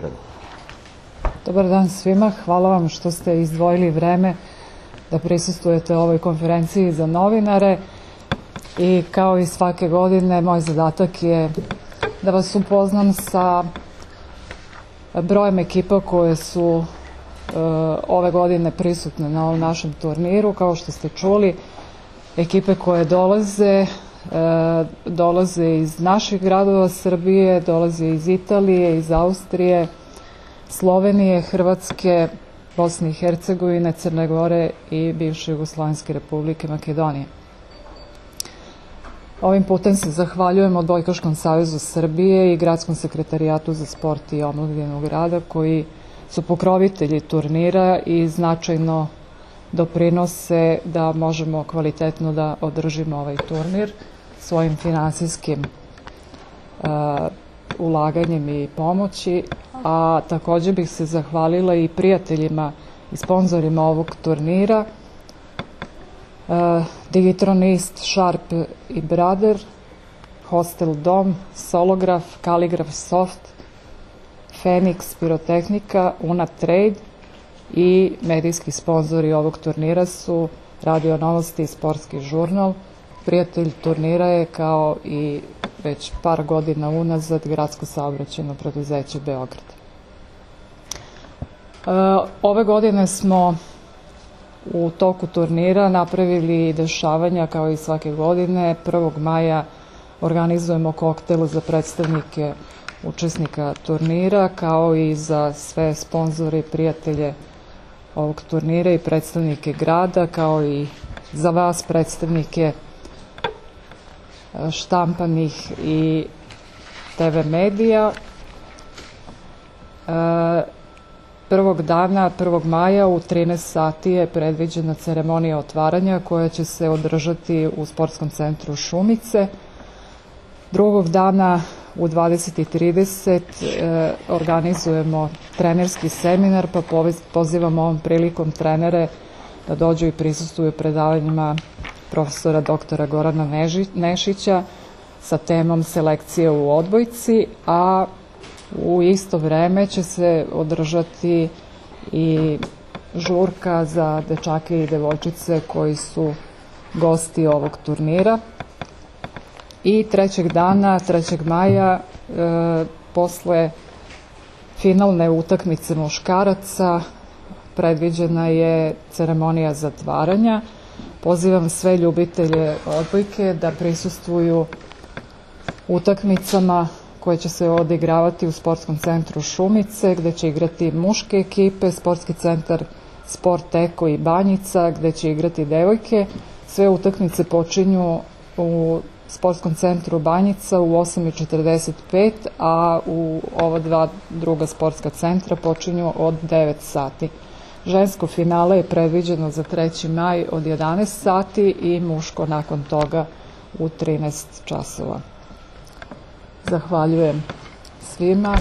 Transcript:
Beogradu. Dobar dan svima, hvala vam što ste izdvojili vreme da prisustvujete ovoj konferenciji za novinare i kao i svake godine moj zadatak je da vas upoznam sa brojem ekipa koje su ove godine prisutne na ovom našem turniru. Kao što ste čuli, ekipe koje dolaze iz naših gradova Srbije, dolaze iz Italije, iz Austrije, Slovenije, Hrvatske, Bosne i Hercegovine, Crne Gore i bivše Jugoslovenske Republike Makedonije. Ovim putem se zahvaljujem Odbojkaškom savezu Srbije i Gradskom sekretarijatu za sport i omladinu grada koji su pokrovitelji turnira i značajno doprinose da možemo kvalitetno da održimo ovaj turnir svojim finansijskim ulaganjem i pomoći, a takođe bih se zahvalila i prijateljima i sponzorima ovog turnira, Digitronist, Sharp i Brother, Hostel Dom, Solograf, Kaligraf Soft, Fenix Pirotehnika, Una Trade i medijski sponzori ovog turnira su Radio Novosti i Sportski žurnal. Prijatelj turnira je, kao i već par godina unazad, Gradsko saobraćajno preduzeće Beograd. Ove godine smo u toku turnira napravili dešavanja kao i svake godine. 1. maja organizujemo koktel za predstavnike učesnika turnira, kao i za sve sponzore i prijatelje ovog turnira i predstavnike grada, kao i za vas predstavnike štampanih i TV medija. 1. maja u 13 sati je predviđena ceremonija otvaranja koja će se održati u Sportskom centru Šumice. Drugog dana u 20:30 organizujemo trenerski seminar, pa pozivamo ovom prilikom trenere da dođu i prisustvuju predavanjima profesora doktora Gorana Nešića sa temom selekcije u odbojci, a u isto vreme će se održati i žurka za dečake i devojčice koji su gosti ovog turnira. I 3. maja, posle finalne utakmice muškaraca, predviđena je ceremonija zatvaranja. Pozivam sve ljubitelje odbojke da prisustvuju utakmicama koje će se odigravati u Sportskom centru Šumice, gde će igrati muške ekipe, Sportski centar Sport Eko i Banjica, gde će igrati devojke. Sve utakmice počinju u Sportskom centru Banjica u 8:45, a u ova dva druga sportska centra počinju od 9 sati. Žensko finale je predviđeno za 3. maj od 11 sati i muško nakon toga u 13 časova. Zahvaljujem svima.